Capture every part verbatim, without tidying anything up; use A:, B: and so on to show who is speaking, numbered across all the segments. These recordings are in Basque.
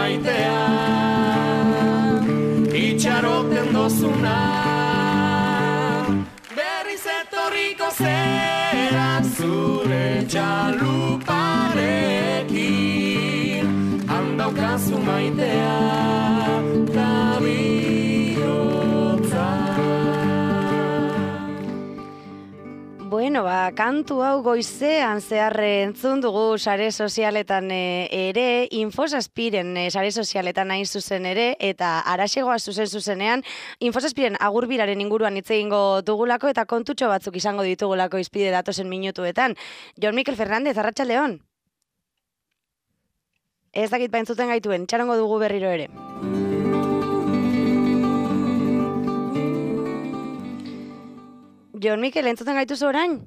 A: maitea, itxaroten dozuna, berriz etorriko zera zure txaluparekin, handaukazu maitea, da bihotza.
B: Bueno, ba, kantu hau goizean zehar entzun dugu sare sozialetan e, ere, Infosazpiren e, sare sozialetan hain zuzen ere, eta araxegoa zuzen zuzenean, Infosazpiren agurbiraren inguruan hitz egingo dugulako, eta kontutxo batzuk izango ditugulako izpide datozen minutuetan. Jon Mikel Fernandez, arratsaldeon. Ez dakit baintzuten gaituen, txarongo dugu berriro ere. Jon Mikel, entzuten gaituzu orain?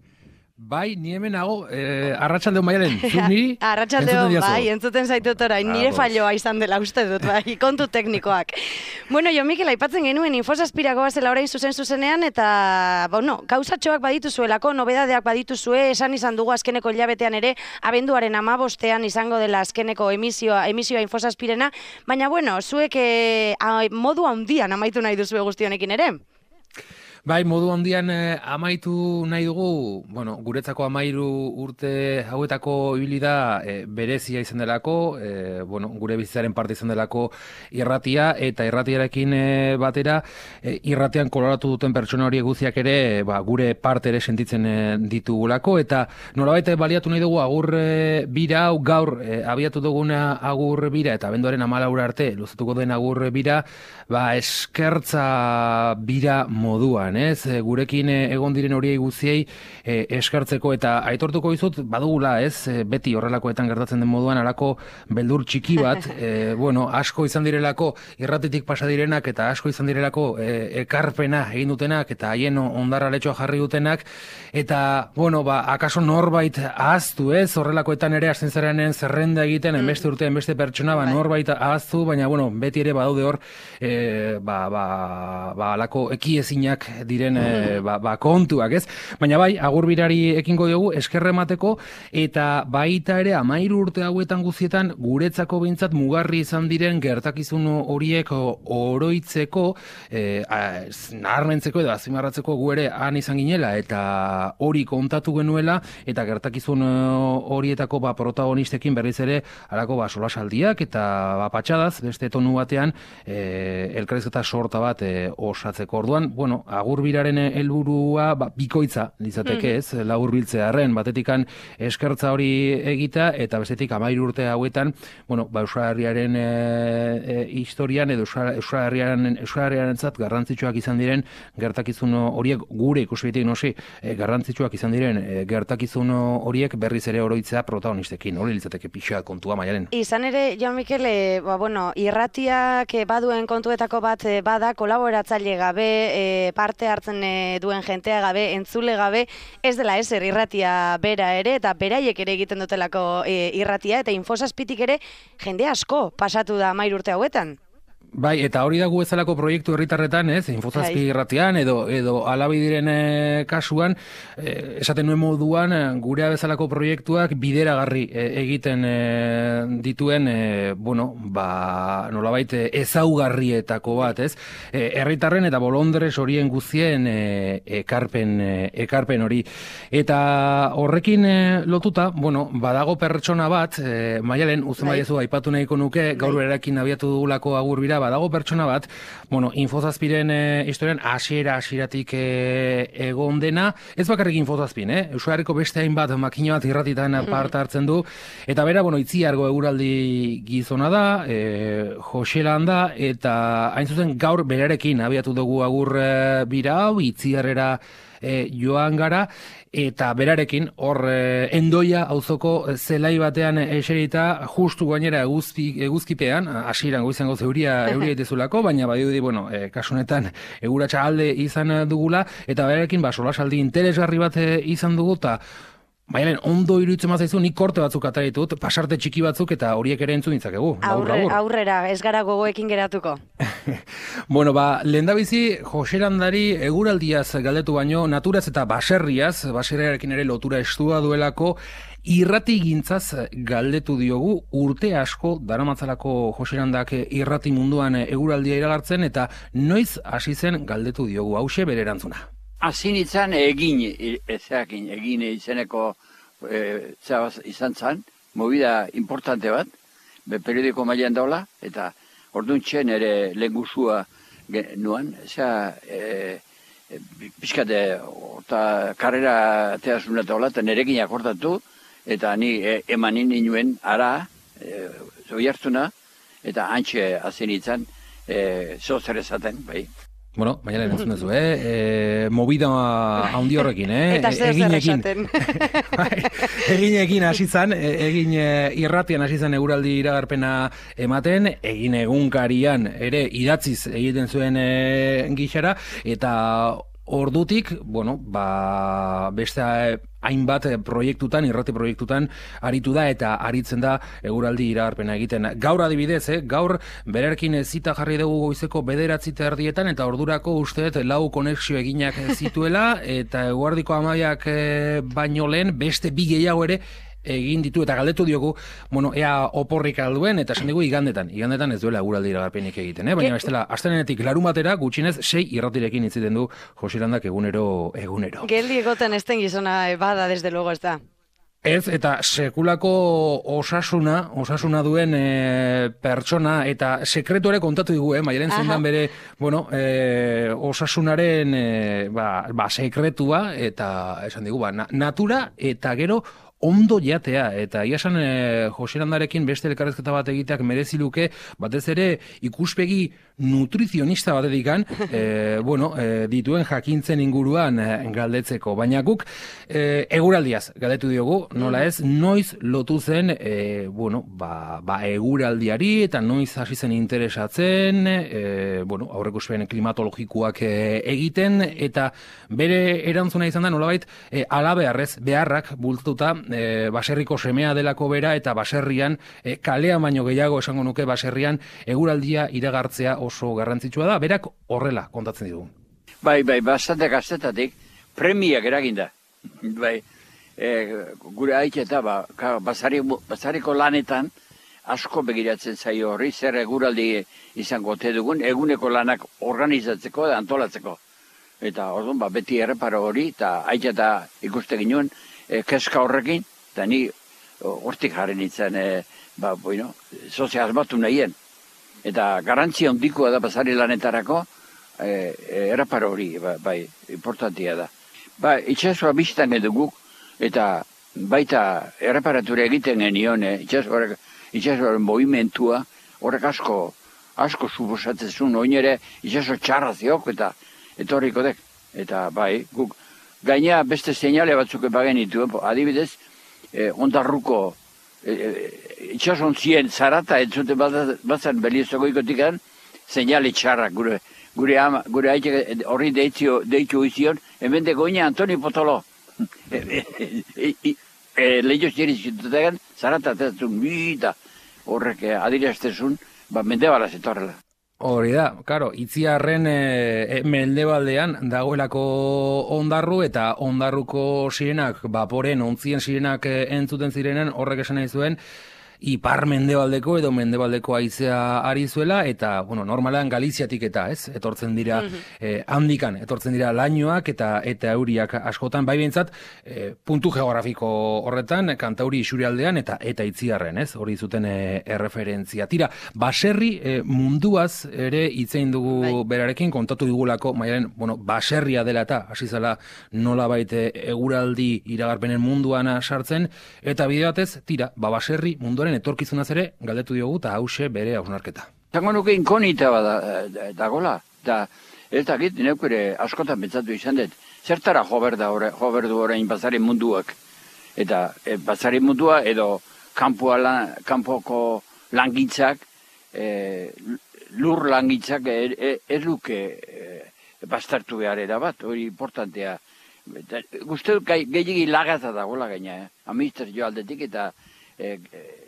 C: Bai, ni hemen nago, eh, arratsaldeon Maialen, zuk niri?
B: Arratsaldeon, bai, entzuten zaitut orain, nire falloa izan dela uste dut, bai, kontu teknikoak. Bueno, Jon Mikel, aipatzen genuen Infosazpirako bazela orain zuzen zuzenean, eta, bueno, gauzatxoak badituzuelako, nobedadeak badituzue, esan izan dugu azkeneko hilabetean ere, abenduaren hamabostean izango dela azkeneko emisioa, emisioa Infosazpirena, baina, bueno, zuek eh, modu handian amaitu nahi duzue guzti honekin ere?
C: Bai, modu handian eh, amaitu nahi dugu, bueno, guretzako amairu urte hauetako ibili da eh, berezia izan delako, eh, bueno, gure bizitzaren parte izan delako irratia, eta irratiarekin eh, batera, eh, irratian koloratu duten pertsona hori guztiak ere, eh, ba, gure parte ere sentitzen eh, ditugulako, eta nolabait baliatu nahi dugu agur eh, bira hau gaur eh, abiatu duguna agur bira, eta abenduaren hamalaura arte luzatuko den agur bira, ba, eskertza bira moduan, ez? Gurekin egon diren horiei guztiei eh, eskartzeko, eta aitortuko dizut badugula, ez? Beti horrelakoetan gertatzen den moduan halako beldur txiki bat, eh, bueno, asko izan direlako irratitik pasa direnak, eta asko izan direlako eh, ekarpena egin dutenak, eta haien ondarraletxoa jarri dutenak, eta, bueno, ba, akaso norbait ahaztu, ez? Horrelakoetan ere hasten zarenean zerrenda egiten, enbeste urte, enbeste pertsona, ba, norbait ahaztu, baina, bueno, beti ere badaude hor, eh, ba, ba, ba, alako ekiezinak diren e, ba, ba, kontuak, ez? Baina bai, agurbirari ekingo diogu eskerre emateko, eta baita ere amairu urte hauetan guztietan guretzako behintzat mugarri izan diren gertakizun horiek oroitzeko, e, naharmentzeko edo azimarratzeko gu ere han izan ginela, eta hori kontatu genuela, eta gertakizun horietako ba, protagonistekin berriz ere halako ba, solasaldiak, eta ba, patxadaz, beste tonu batean, e, elkarrizketa sorta bat e, osatzeko. Orduan, bueno, agurbiraren helburua ba, bikoitza litzateke, ez, laburbiltzearren, batetikan eskertza hori egita, eta bestetik hamairu urte hauetan, bueno, ba, Euskal Herriaren e, e, historian, edo Euskal Herriaren Euskal Herriarentzat garrantzitsuak izan diren gertakizun horiek, gure ikuspegitik nosi, e, garrantzitsuak izan diren e, gertakizun horiek berriz ere oroitzea protagonistekin, hori litzateke pixa kontua Maialen.
B: Izan ere, Jon Mikel, e, ba, bueno, irratiak baduen kontuetako bat e, bada, kolaboratzaile gabe, e, parte hartzen e, duen jentea gabe, entzule gabe, ez dela ezer irratia bera ere, eta beraiek ere egiten dutelako e, irratia, eta Infosazpitik ere jende asko pasatu da hamairu urte hauetan.
C: Bai, eta hori da gu bezalako proiektu herritarretan, ez, Infosazpi irratian, edo, edo alabidiren e, kasuan, e, esaten nuen moduan, gurea bezalako proiektuak bideragarri e, egiten e, dituen, e, bueno, ba, nolabait ezaugarrietako bat, ez, e, herritarren eta bolondres horien guztien e, ekarpen, e, ekarpen hori. Eta horrekin e, lotuta, bueno, badago pertsona bat, e, Maialen, uzen baiezu aipatu nahiko nuke, gaur berarekin abiatu dugulako agurbira, badago pertsona bat, bueno, Infosazpiren e, historian hasiera hasieratik e, egon dena, ez bakarrik Infosazpin, eh? Euskal Herriko beste hainbat makina bat irratitan parte hartzen du, eta bera, bueno, Itziargo eguraldi gizona da, e, Joselan da, eta hain zuzen gaur berarekin abiatu dugu agur e, bira hau, Itziarrera e, joan gara, eta berarekin, hor e, Endoia auzoko zelai batean eserita, justu gainera eguzki, eguzkipean, hasieran goizango zeuria euria itezulako, baina badiudi, bueno, e, kasunetan eguratsa alde izan dugula, eta berarekin ba, solasaldi interesgarri bat izan dugu, eta Maialen, ondo iruditzen mazaizu, nik korte batzuk atera ditut, pasarte txiki batzuk eta horiek ere entzun ditzakegu.
B: Aurre, aurrera, ez gara gogoekin geratuko.
C: Bueno, ba, lehendabizi, Joserandari eguraldiaz galdetu baino, naturaz eta baserriaz, baserriarekin ere lotura estua duelako, irrati gintzaz galdetu diogu, urte asko daramatzalako Joserandak irrati munduan eguraldia iragartzen, eta noiz hasi zen galdetu diogu, hause bere erantzuna.
D: Hazin izan egin, ezakin, egin izeneko e, izan zan, movida importante bat, be periodiko mailan daula, eta orduan txen ere lehengusua nuan, eza e, e, pixkate, eta karrera teazuna daula, eta nerekin akortatu, eta ni e, emanin inuen ara, e, zoi hartuna, eta antxe hazin izan, e, zozer ezaten, bai.
C: Bueno, Maialen entzun duzu, eh? E, movida handi horrekin, eh?
B: Eta zer zer esaten.
C: Eginekin hasi zan, egin irratian hasi zan eguraldi iragarpena ematen, egin egunkarian ere idatziz egiten zuen e, gixara, eta ordutik, bueno, ba, beste hainbat proiektutan, irrati proiektutan aritu da eta aritzen da eguraldi iragarpena egiten. Gaur adibidez, eh? Gaur bererkin zita jarri dugu goizeko bederatzi erdietan eta ordurako usteet lau konexio eginak zituela eta eguardiko amaiak baino lehen beste bi gehiago ere egin ditu eta galdetu diogu, bueno, ea oporrik alduen, eta esan digu igandetan, igandetan ez duela eguraldi iragarpenik egiten, eh? Baina bestela, astelehenetik larumatera gutxinez sei irratirekin itziten du Joserandak egunero, egunero.
B: Geldi egoten esten gizona bada, desde luego ez da.
C: Ez, eta sekulako osasuna, osasuna duen e, pertsona, eta sekretu ere kontatu digu, eh? Maialen zindan bere, bueno, e, osasunaren e, ba, ba, sekretua, eta esan digu, ba, na, natura, eta gero, ondo jatea, eta iasan e, Joserandarekin beste elkarrezketa bat egiteak merezi luke, batez ere ikuspegi nutrizionista bat edikan, e, bueno, e, dituen jakintzen inguruan e, galdetzeko, baina guk e, eguraldiaz galdetu diogu, nola ez, noiz lotu zen, e, bueno, ba, ba eguraldiari, eta noiz hasi zen interesatzen, e, bueno, aurreikuspen klimatologikoak e, egiten, eta bere erantzuna izan da, nolabait, e, alabeharrez, beharrak bultatuta, E, baserriko semea delako bera eta baserrian, e, kalean baino gehiago esango nuke baserrian eguraldia iragartzea oso garrantzitsua da, berak horrela kontatzen digu.
D: Bai, bai, bastante gaztetatik premiak eraginda. Bai, e, gure haiketa, ba, basari, basariko lanetan asko begiratzen zaio horri, zer eguraldi izango ote dugun, eguneko lanak organizatzeko eta antolatzeko. Eta orduan, ba, beti erreparo hori, eta haiketa ikuste ginoen, E, keska horrekin, eta ni hortik jarri nintzen, e, ba, bueno, sozia asmatu nahien. Eta garantzia handikoa da basari lanetarako, e, e, eraparo hori, ba, bai, importantia da. Ba, itxasua biztan eduguk, eta baita erraparatura egiten genion, e, itxasuaren movimentua, horrek asko, asko suposatzen zuen, oin ere itxaso txarra ziok, eta etorriko dek. Eta bai, guk, gaina beste seinale batzuk bagen dituen, adibidez, eh, ondarruko eh, itxasontzien zarata entzute batzen Beliozoko ikotikan, seinale txarrak gure gure ama, gure haitxe horri deitzio, deitu izion, hemen de goina Antoni Potolo. Lehio ziren zitutegan, zarata atezatzen, bita horrek adiraztezun, ba, mendebalaz etorrela.
C: Hori da, karo, itziarren e, mendebaldean dagoelako ondarru eta ondarruko sirenak, baporen, ontzien sirenak e, entzuten zirenen, horrek esan nahi zuen, ipar mendebaldeko edo mendebaldeko haizea ari zuela, eta, bueno, normalan Galiziatik eta, ez, etortzen dira, eh, handikan, etortzen dira lainoak eta eta euriak askotan, bai behintzat, eh, puntu geografiko horretan, Kantauri isurialdean eta eta itziarren, ez, hori zuten eh, erreferentzia. Tira, baserri eh, munduaz ere hitzein dugu bai. Berarekin, kontatu digulako, Maialen, bueno, baserria dela eta, hasi zela nolabait eguraldi iragarpenen munduan sartzen, eta bide batez, tira, ba baserri munduaren etorkizunaz ere galdetu diogu eta hause bere hausnarketa.
D: Zango nuke inkonita bada dagola, eta ez dakit neukere askotan pentsatu izan dut, zertara jober da jober du orain basari munduak, eta e, basari mundua edo kanpoa lan, kanpoko langintzak, e, lur langintzak ez e, e, luke e, bastartu behar bat, hori importantea. Uste dut gehiagi lagaza dagoela gaina, eh? Administrazio aldetik eta eh,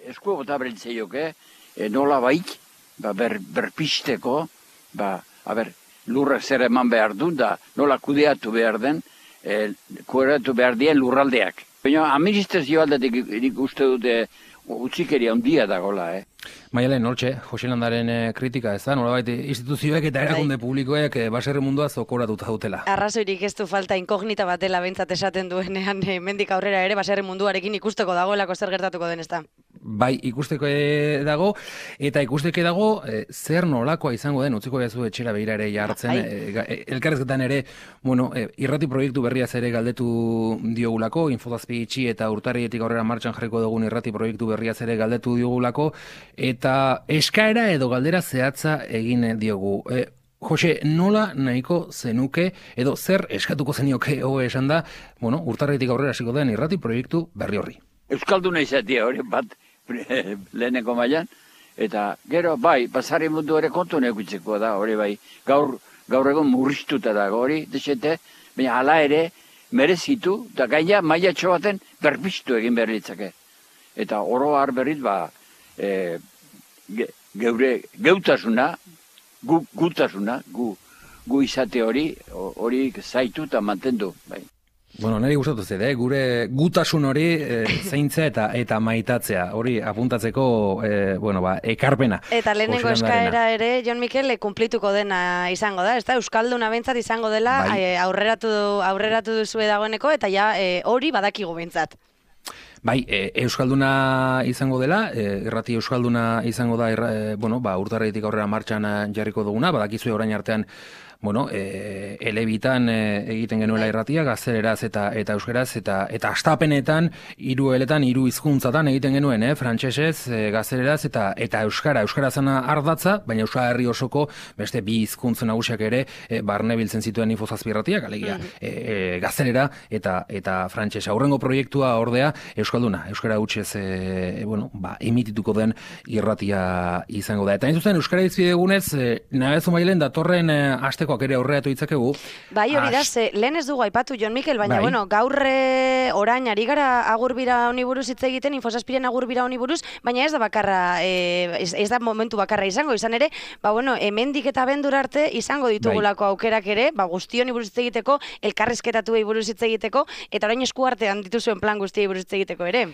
D: esku bota berentzeioke, eh, nola baik, ba, ber, berpisteko, ba, a ber, lurrak zer eman behar du, da nola kudeatu behar den, eh, kudeatu behar dien lurraldeak. Baina administrazio aldetik nik uste dute utzikeria handia dagoela, eh?
C: Maialen, hortxe, Jose Landaren e, kritika, ez da, nolabait instituzioek eta erakunde publikoek e, baserri mundua zokoratuta dutela.
B: Arrazoirik ez du falta inkognita batela bentsat esaten duenean, e, mendik aurrera ere baserri munduarekin ikusteko dagoelako zer gertatuko den, ez da?
C: Bai, ikusteko dago, eta ikusteke dago e, zer nolakoa izango den, utziko behazu etxera behira ere jartzen, e, elkarrezketan ere, bueno, e, irrati proiektu berriaz ere galdetu diogulako, infodazpi itxi eta urtarrietik aurrera martxan jarriko dugun irrati proiektu berriaz ere galdetu diogulako, eta eskaera edo galdera zehatza egin diogu. E, Jose, nola nahiko zenuke, edo zer eskatuko zenioke hobe esan da, bueno, urtarrietik aurrera hasiko den irrati proiektu berri horri.
D: Euskalduna izatea hori bat leheneko mailan, eta gero bai, basari mundu ere kontu nekutzeko da, hori bai, gaur, gaur egon murriztuta dago hori, desete, baina hala ere merezitu, eta gaina maila baten berpiztu egin behar litzake. Eta oro har berriz, ba, e, ge, geure geutasuna, gu, gutasuna, gu, gu izate hori, hori zaitu eta mantendu, bai.
C: Bueno, niri gustatu zede, eh? Gure gutasun hori e, zeintza eta eta maitatzea, hori apuntatzeko e, bueno, ba, ekarpena.
B: Eta lehenengo eskaera ere, Jon Mikel, kumplituko dena izango da, ezta? Euskalduna behintzat izango dela, bai. e, aurreratu, aurreratu duzue dagoeneko, eta ja e, hori badakigu behintzat.
C: Bai, e, Euskalduna izango dela, e, irrati Euskalduna izango da, irra, e, bueno, ba, urtarrietik aurrera martxan jarriko duguna, badakizue orain artean, bueno, e, elebitan e, egiten genuela irratia, gazteleraz eta eta euskeraz, eta eta astapenetan, hiru eletan, hiru hizkuntzatan egiten genuen, eh? Frantsesez, e, gazteleraz eta eta euskara, euskarazana ardatza, baina Euskal Herri osoko beste bi hizkuntz nagusiak ere e, barne biltzen zituen infozazpi irratiak, alegia, mm-hmm. e, e, gaztelera eta eta frantsesa. Aurrengo proiektua ordea euskalduna, euskara hutsez e, bueno, ba, emitituko den irratia izango da. Eta hain zuzen euskara izbidegunez, e, nabezu mailen datorren e, aste ere aurreatu ditzakegu.
B: Bai, hori da, ze, lehen ez dugu aipatu Jon Mikel, baina, bai. bueno, gaurre orain ari gara agurbira honi buruz hitz egiten, infozazpiren agurbira honi buruz, baina ez da bakarra, e, ez, ez da momentu bakarra izango, izan ere, ba, bueno, hemendik eta bendur arte izango ditugulako bai. aukerak ere, ba, guzti honi buruz hitz egiteko, elkarrizketatu buruz hitz egiteko, eta orain esku artean dituzuen plan guztiei buruz hitz egiteko ere.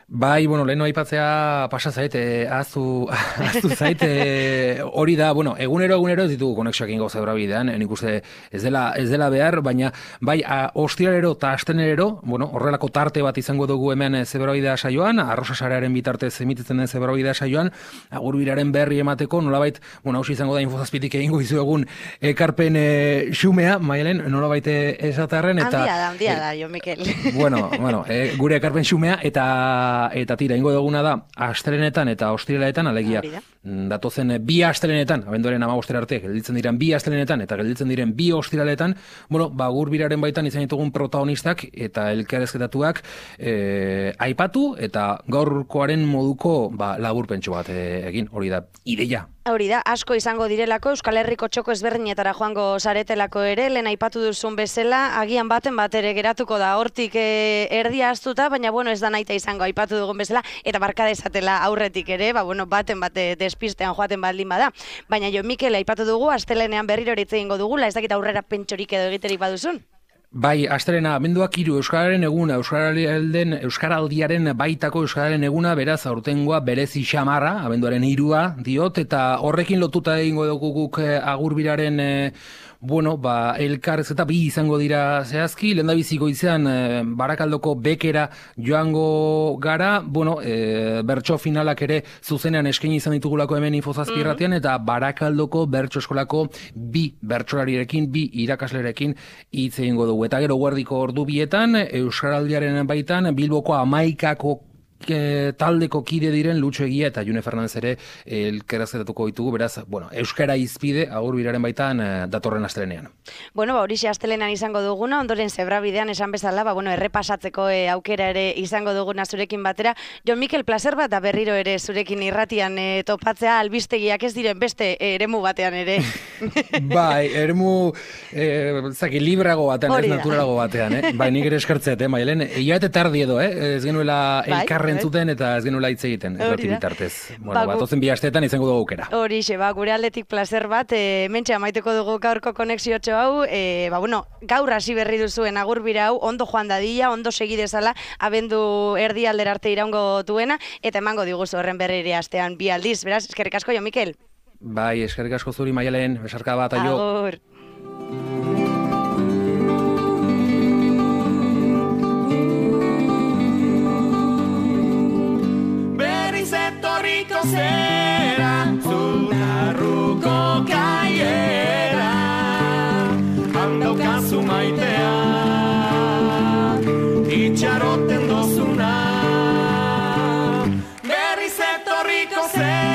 C: Bai, bueno, leheno aipatzea pasa zaite, azu, azu zaite, hori da, bueno, egunero, egunero ez ditugu konexioak ingo zaura bidean, nik uste ez dela, ez dela behar, baina bai, ostiralero eta astenerero, bueno, horrelako tarte bat izango dugu hemen zebrabidea saioan, arrosa sarearen bitartez emititzen den zebrabidea saioan, agurbiraren berri emateko, nolabait, bueno, hausi izango da infozazpitik egingo izu egun ekarpen e, xumea, Maialen, nolabait esatarren, eta...
B: Handia da, handia da, Jon Mikel.
C: Bueno, bueno, e, gure ekarpen xumea, eta eta tira, ingo duguna da, astelenetan eta ostiraletan, alegia, datozen bi astelenetan, abenduaren amabostera arte, gelditzen diren bi astelenetan, eta gelditzen diren bi ostiraletan, bueno, ba, gurbiraren baitan izan ditugun protagonistak, eta elkarrezketatuak e, aipatu, eta gaurkoaren moduko ba, laburpentsu bat e, egin, hori da, ideia.
B: Hori da, asko izango direlako, Euskal Herriko txoko ezberdinetara joango saretelako ere, lehen aipatu duzun bezala, agian baten bat ere geratuko da, hortik e, erdia astuta, baina bueno, ez da naita izango aipatu dugun bezala, eta barka dezatela aurretik ere, ba, bueno, baten bat despistean joaten baldin bada. Baina Jon Mikel aipatu dugu, astelenean berriro hitz egingo dugula, ez dakit aurrera pentsorik edo egiterik baduzun.
C: Bai, astelena, abenduak hiru Euskararen eguna, Euskaraldiaren, Euskaraldiaren baitako Euskararen eguna, beraz aurtengoa berezi xamarra, abenduaren hirua diot, eta horrekin lotuta egingo dugu guk agurbiraren e, bueno, ba, elkarrezketa bi izango dira zehazki, lehendabiziko izan e, Barakaldoko bekera joango gara, bueno, e, bertso finalak ere zuzenean eskaini izan ditugulako hemen infozazpi irratian, mm-hmm. eta Barakaldoko bertso eskolako bi bertsolarirekin, bi irakaslerekin hitz egingo dugu. Eta gero guardiko ordu bietan, Euskaraldiaren baitan, Bilboko amaikako e, taldeko kide diren Lutxo Egia eta June Fernandez ere elkarrezketatuko ditugu, beraz, bueno, euskara izpide agur biraren baitan e, datorren astelenean.
B: Bueno, ba, horixe astelenean izango duguna, ondoren zebrabidean esan bezala, ba, bueno, errepasatzeko e, aukera ere izango duguna zurekin batera. Jon Mikel, placer bat da berriro ere zurekin irratian e, topatzea, albistegiak ez diren beste e, eremu batean ere.
C: Bai, eremu e, zaki, librago batean, ez naturalago batean, eh? Bai, nik ere eskertzet, eh, Maialen, ia eta tardi edo, eh? Ez genuela elkarren zuten eta ez genuela hitz egiten, errati bitartez. Bueno, ba, batozen bi asteetan izango dugu aukera.
B: Horixe, ba, gure aldetik placer bat, e, mentxe amaituko dugu gaurko konexiotxo hau, e, ba, bueno, gaur hasi berri duzuen agurbira hau, ondo joan dadila, ondo segi dezala, abendu erdi aldera arte iraungo duena, eta emango diguzu horren berri astean bi aldiz. Beraz, eskerrik asko, Jon Mikel.
C: Bai, eskerrik asko zuri, Maialen, besarka bat, aio.
B: Agur.
A: Berriz etorriko zera, Zunarruko kaiera, handaukazu maitea, itxaroten dozuna. Berriz etorriko zera,